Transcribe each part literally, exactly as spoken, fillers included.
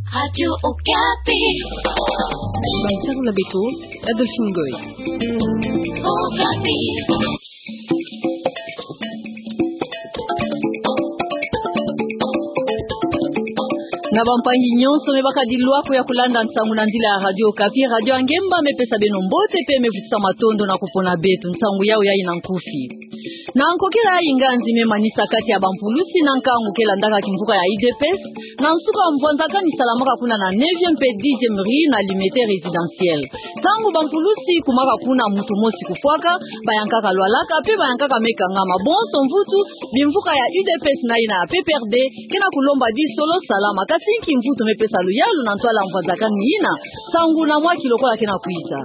Radio Okapi. Baitaro la beto, Adolphine Goy. Okapi. Na bampangi nyonso me baka dilwa ko ya kulanda nsangu na nzila ya Radio Okapi, radio ya ngemba, me pesa beno mbote pe me vutisa matondo na kupona beto. Nsangu yayi ina nkufi. Na nkokela ya nganzi me manisa kati ya bampulusi na nkangu ke landaka kimvuka ya U D P S, na nsuka mvwanzakani salamaka kuna na neuvième pe dixième rue na Limete résidentielle. Ntangu bampulusi kumaka kuna, mutu mosi kufwaka, bayankaka lwalaka, pe bayankaka me kangama. Bonso mvutu, bimvuka ya U D P S na ina ya P P R D, ke na kulomba di solo salama. Kasi nki mvutu me pesa luyalu na ntwala mvwanzakani ina? Nsangu na mwaki lokola ke na kwiza.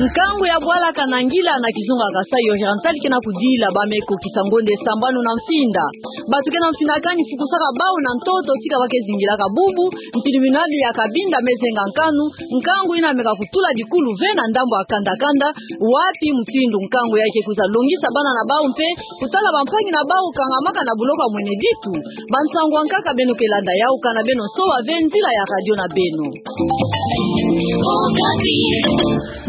Nkangu ya bwala Kanangila na kizunga Kasaï Oriental ke na kudila ba me kokisa ngonde sambanu na mfinda. Bato ke na mfinakani fukusaka bau na ntoto tika ba ke zingilaka bubu, tribunal ya Cabinda me zenga nkanu, nkangu ina meka kutula dikulu ve na ndambu ya kanda-kanda, wapi mutindu nkangu yayi ke kwiza longisa bana na bau mpe kutala bampangi na bau kangamaka na buloko ya mweneditu. Bansangu ya nkaka beno ke landa yau, kana beno soba ve nzila ya radio na beno.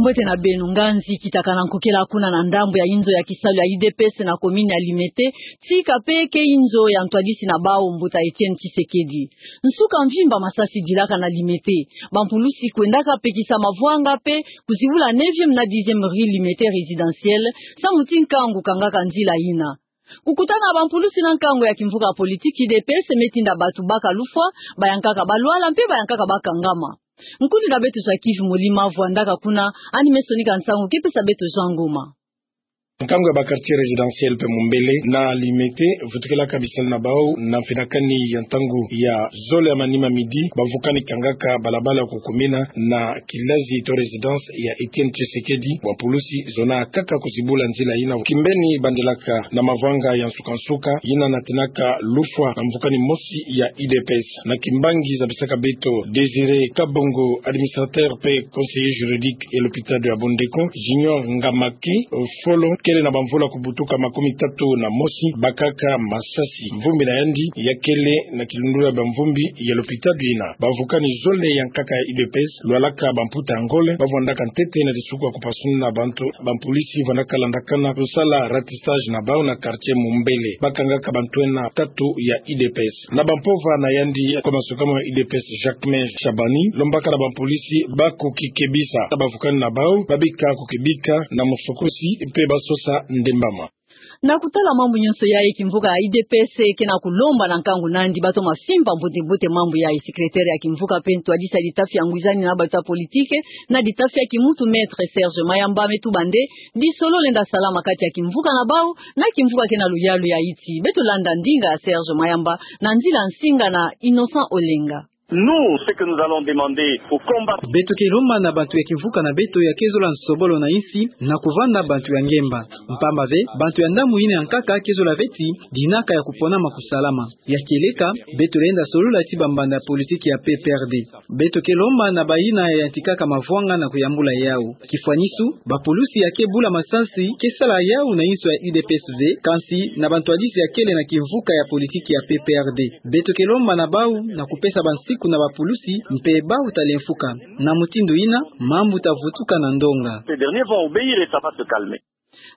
Mbote na beno. Nganzi kitakana nkokela kuna na ndambu ya inzo ya kisalu ya U D P S na commune ya Limete, tika pe ke inzo ya ntwadisi na bau, mbuta Etienne Tshisekedi. Nsuka mvimba masasi dilaka na Limete. Bampulusi kwendaka pekisa mavwanga pe kuzibula neuvième na dixième rue Limete résidentielle, samu ti nkangu kangaka nzila ina. Kukutana ya bampulusi na nkangu ya kimvuka ya politiki U D P S me tinda bato baka lufwa, bayankaka balwala, mpe bayankaka bakangama. Nkundi na beto Jacques Molima vwandaka kuna, yandi me sonika nsangu ke pesa beto Jean Ngoma. Nkangu ya ba quartier résidentiel mpe Mumbele na Limete, vutukelaka bisalu na bau na mfinakani ya ntangu ya zole ya manima, midi, bavukani kangaka balabala ya kukumina na kilazi to résidence ya Etienne Tshisekedi. Bampulusi zona kaka kuzibula nzila ina. Kimbeni bandelaka na mavwanga ya nsuka-nsuka, yina natinaka lufwa na mvukani mosi ya U D P S. Na kimbangi zabisaka beto Désiré Kabongo, administrateur mpe conseiller juridique ya l'hôpital ya Bondeko, Junior Ngamaki, folo, kele na bamvula kubutuka makumi tatu na mosi, bakaka masasi. Mvumbi na yandi yakele na kilundula ya bamvumbi ya l'hôpital ina. Bavukani zole ya nkaka ya U D P S, lwalaka bamputa ya ngole, bavwandaka ntete na disuku ya kupasuna bantu. Bampulusi vwandaka landakana kusala ratissage na bau na quartier Mumbele. Bakangaka bantwenia tatu ya U D P S. Na bampova na yandi, nkoma sukama ya U D P S Jacquemain Shabani lombaka na bampulusi bakukikebisa bavukani na bau, babika kukebika na musokosi mpe basosa ndembama. Na kutala mambu nyonso yayi, kimvuka ya U D P S ke na kulomba na nkangu na yandi batoma simba mbote-mbote mambu yayi. Secrétaire ya kimvuka mpe ntwadisi ya litafi ya ngwizani na bato ya politike na litafi ya kimutu, Maître Serge Mayamba, me tuba nde di solo lenda salama kati ya kimvuka na bau na kimvuka ke na luyalu ya insi. Beto landa ndinga ya Serge Mayamba na nzila nsinga na Innocent Olenga. Nous, ce que nous allons demander aux combattants. Beto ke lomba na bantu ya kimvuka na beto ya ke zola nsobolo na insi na kuvanda bantu ya ngemba. Mpamba ve, bantu ya ndambu ina ya nkaka ke zola ve ti dinaka ya kuponama kusalama. Ya kieleka, beto lenda solula ti bambanda politiki ya P P R D. Beto ke lomba na bayina ya yantikaka mavwanga na kuyambula yau. Kifwanisu, bapulusi ya ke bula masasi ke sala yau na inso ya U D P S ve, kansi na bantwadisi ya kele na kimvuka ya politiki ya P P R D. Beto ke lomba na bau na kupesa bansiku na bapulusi mpe bau ta lemfuka. Na mutindu ina, mambu ta vutuka na ndonga. Ces derniers vont obéir et ça va se calmer.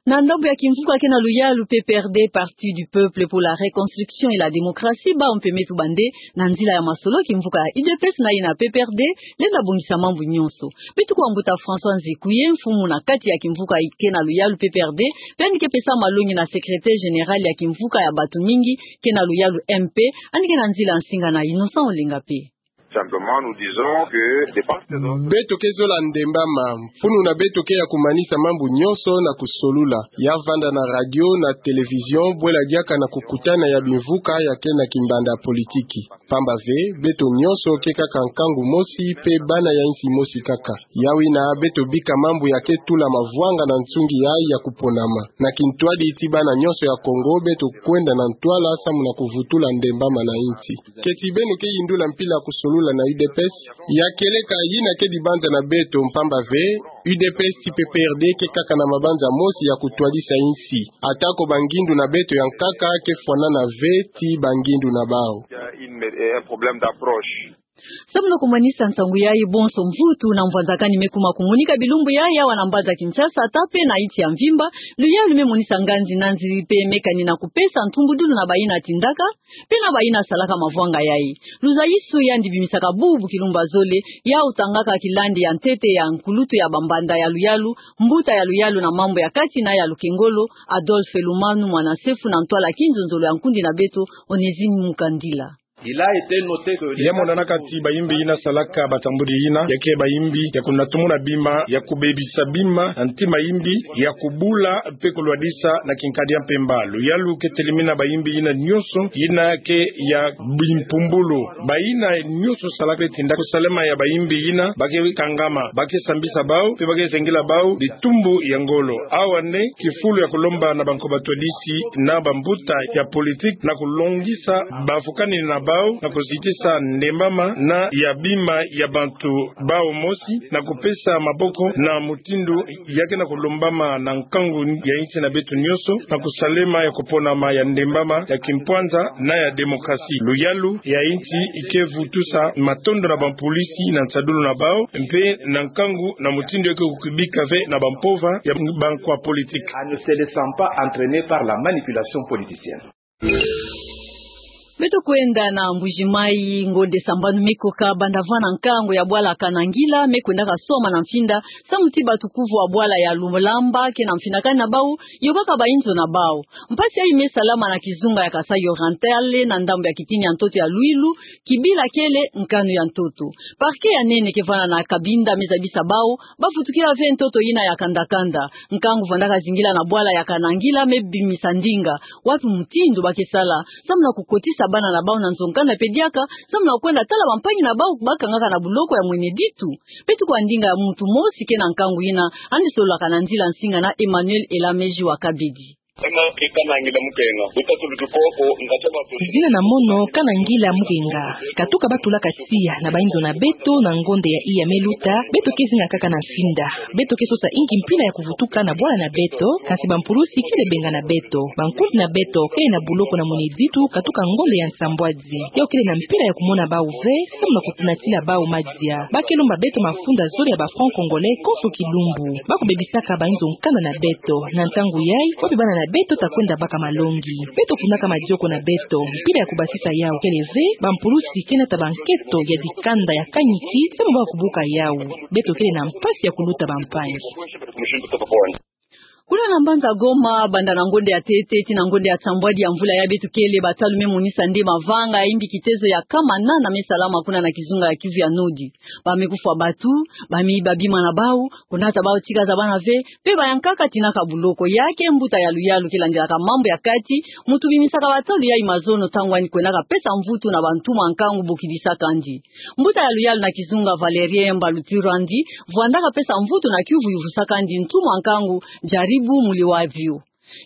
Na ndambu ya kimvuka ke na luyalu P P R D, Parti du Peuple pour la Reconstruction et la Démocratie, bau mpe me tuba nde na nzila ya masolo kimvuka ya U D P S na ina P P R D lenda bongisa mambu nyonso. Beto kuwa mbuta François Nzikuye, mfumu na kati ya kimvuka ke na luyalu P P R D, mpe yandi ke pesa malongi na secrétaire général ya kimvuka ya bato mingi ke na luyalu M P, yandi ke na nzila nsinga na Innocent Olenga mpe. Simplement, nous disons que de part et d'autre. Beto ke zola ndembama, mfunu na beto ke ya kumanisa mambu nyonso na kusolula. Ya vanda na radio, na télévision, bwela diaka na kukutana ya bimvuka ya ke na kimbanda politiki. Mpamba ve, beto nyonso ke kaka nkangu mosi, mpe bana ya insi mosi kaka. Yawina beto bika mambu ya ke tula mavwanga na nsungi yayi ya kuponama. Na kintwadi ti bana nyonso ya Kongo, beto kwenda na ntwala samu na kuvutula ndembama na insi. Keti beno ke yindula mpila kusolula na U D P S, ya kieleka yina ke dibanza na beto, mpamba ve, U D P S ti P P R D ke kaka na mabanza mosi ya kutwadisa insi. Atako bangindu na beto ya nkaka ke fwanana ve ti bangindu na bau. Il y a une, un problème d'approche. Samu na kumanisa nsangu yayi, bonso mvutu na mvwanzakani me kuma kumonika bilumbu yayi awa na mbanza Kinshasa, ata pe na insi ya mvimba. Luyalu me monisa nganzi na nziri pe me kani na kupesa ntumbudulu na bayina tindaka pe na bayina salaka mavwanga yayi. Luzayisi yandi bimisaka bubu kilumbu ya zole, yawu tangaka kilandi ya ntete ya nkulutu ya bambanda ya luyalu, mbuta ya luyalu na mambu ya kati na ya lukengolo, Adolphe Lumanu, mwana sefu na ntwala kinzonzolo ya nkundi na beto, Onésime Mukandila. Il a été noté que ya monanaka ti bayimbi yina salaka batambudi yina, ya ke bayimbi ya kunatumuna bima, ya kubebisa bima, na ntima yimbi ya kubula pe kulwadisa na kinkadi ya mpemba. Luyalu ke telimina bayimbi yina nyonso yina ke ya bimpumbulu. Bayina nyonso salaka pe tinda kusalema ya bayimbi yina, ba ke kangama, ba ke sambisa bawu, pe ba ke zengila bawu bitumbu ya ngolo. Awa nde kifulu ya kulomba na banko batwadisi na bambuta ya politique na kulongisa bafukani na bawu na kuzitisa ndembama na ya bima ya bantu bawu mosi, na kupesa maboko na mutindu ya ke na kulombama na nkangu ya insi na beto nyonso, na kusalema ya kuponama ya ndembama, ya kimpwanza na ya démocratie. Luyalu ya insi ke vutusa matondo na bampulisi na nsadulu na bawu, mpe na nkangu na mutindu ya ke kukibika ve na bampova ya bankwa politique. En ne se laissant pas entraîner par la manipulation politicienne. Beto kwenda na Mbuji-Mayi, ngonde sambanu me koka banda vwanda nkangu ya bwala Kanangila me kwendaka soma na mfinda, samu ti batukuvu wa bwala ya Lumulamba ke na mfindakani na bawu, yôkaka bayinzo na bawu. Mpasi yayi me salama na kizunga ya Kasaï Oriental, na ndambu ya kitini ya ntoto ya Luilu, kibila kele nkanu ya ntoto. Parquet ya nene ke vwanda na Cabinda me zabisa bawu, ba vutukila ve ntoto yina ya kanda-kanda. Nkangu vwandaka zingila na bwala ya Kanangila me bimisa ndinga, wapi mutindu ba ke sala, samu na kukotisa bana na bawu na nzo-nkanda mpe diaka, samu na kwenda tala bampangi na bawu ba kangaka na buloko ya Mweneditu. Mpe tuku wa ndinga ya muntu mosi ke na nkangu yina, yandi sololaka na nzila nsinga na Emmanuel Elameji wa Kabedi. Zina na mono Kanangila Mukenga. Katuka ba tulaka tiya na bayinzo na beto na ngonde ya iya me luta, beto ke zinga kaka na mfinda. Beto ke sosa inki mpila ya kuvutuka na bwala na beto, kansi bampulusi kele bengana beto. Bankundi na beto kele na buloko na Mweneditu katuka ngonde ya nsambwadi. Yawu kele na mpila ya kumona bawu ve, samu na kukunatila bawu madia. Ba ke lomba beto mafunda zole ya ba francs congolais konso kilumbu. Ba kubebisaka bayinzo-nkanda na beto. Na ntangu yayi, wapi bana na beto ta kwenda baka malongi? Beto kunaka madioko na beto. Mpila ya kubasisa yawu kele ve, bampulusi ke nata banketo ya dikanda ya kaniki, samu ba kubuka yawu. Beto kele na mpasi ya kuluta bampangi. Kuna na mbanza Goma, banda na ngonde ya ntete tii na ngonde ya nsambwadi ya mvula yayi beto kele, batalu me monisa nde mavanga ya imbi kitezo ya nkama nana me salama kuna na kizunga ya Kivu ya Nord. Ba me kufwa bato, ba me yiba bima na bawu, kunata bawu tika za bana ve, mpe bayankaka tinaka buloko. Ya ke mbuta ya luyalu ke landilaka mambu ya kati, muntu bimisaka batalu yayi mazono ntangu yandi kwendaka pesa mvutu na bantuma nkangu bokidisaka yandi. Mbuta ya luyalu na kizunga Valerien Mbaluturandi, vwandaka pesa mvutu na kiuvu yuvusaka yandi ntuma nkangu Jaribu Muliwavyo.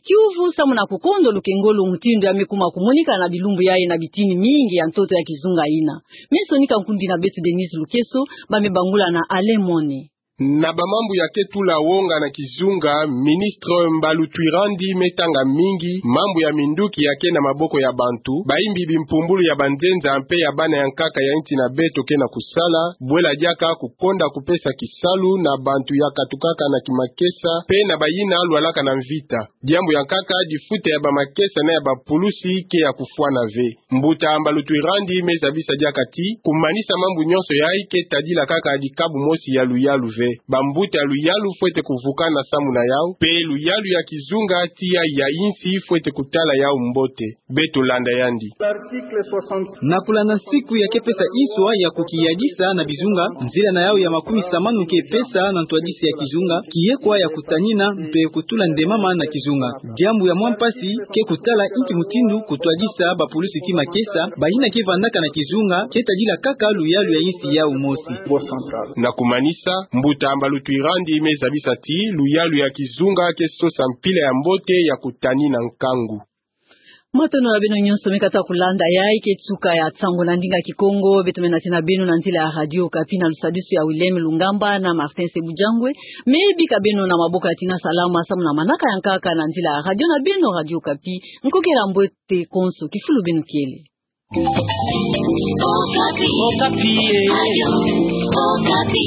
Kiuvu samu na kukondo lukengolo mutindu ya me kuma kumonika na bilumbu yayi na bitini mingi ya ntoto ya kizunga yina. Me sonika nkundi na beto Denise Lukeso, ba me bangula na Alain Mone. Na bamambu ya ke tula wonga na kizunga, ministre Mbaluturandi me tanga mingi mambu ya minduki ya ke na maboko ya bantu, bayimbi bimpumbulu ya banzenza mpe ya bana ya nkaka ya insi na beto ke na kusala, bwela diaka kukonda kupesa kisalu na bantu ya katukaka na kimakesa, mpe na bayina lwalaka na mvita. Diambu ya nkaka, difuta ya bamakesa na ya bapulusi ke ya kufwana ve. Mbuta Mbaluturandi me zabisa diaka ti, kumanisa mambu nyonso yayi ke tadila kaka dikabu mosi ya luyalu ve. Bambuta ya luyalu fwete kuvukana samu na yawu, mpe luyalu ya kizunga tii ya insi fwete kutala yawu mbote. Beto landa yandi. Na kulanda nsiku ya ke pesa nswa ya kukiyadisa na bizunga, nzila na yawu ya makumi samanu ke pesa na ntwadisi ya kizunga, kiyekwa ya kutanina mpe kutula ndemama na kizunga. Diambu ya mwa mpasi ke kutala inki mutindu kutwadisa bapulusi tii makesa, bayina ke vandaka na kizunga, ke tadila kaka luyalu ya insi yawu mosi. Na kumanisa, mbuta Mbaluturandi me zabisa ti, luyalu ya kizunga ke sosa mpila ya mbote ya kutanina nkangu. Matondo na beno nyonso me kata kulanda yayi ke suka ya nsangu na ndinga Kikongo, beto me nati na beno na nzila ya Radio Okapi na lusadisu ya William Lungamba na Martin Sebujangwe. Me bika beno na maboko ya Tina Salama samu na manaka ya nkaka na nzila ya radio na beno Radio Okapi. Nkokela mbote konso, kifulu beno kele. Okapi. Okapi e. Ayo, Okapi.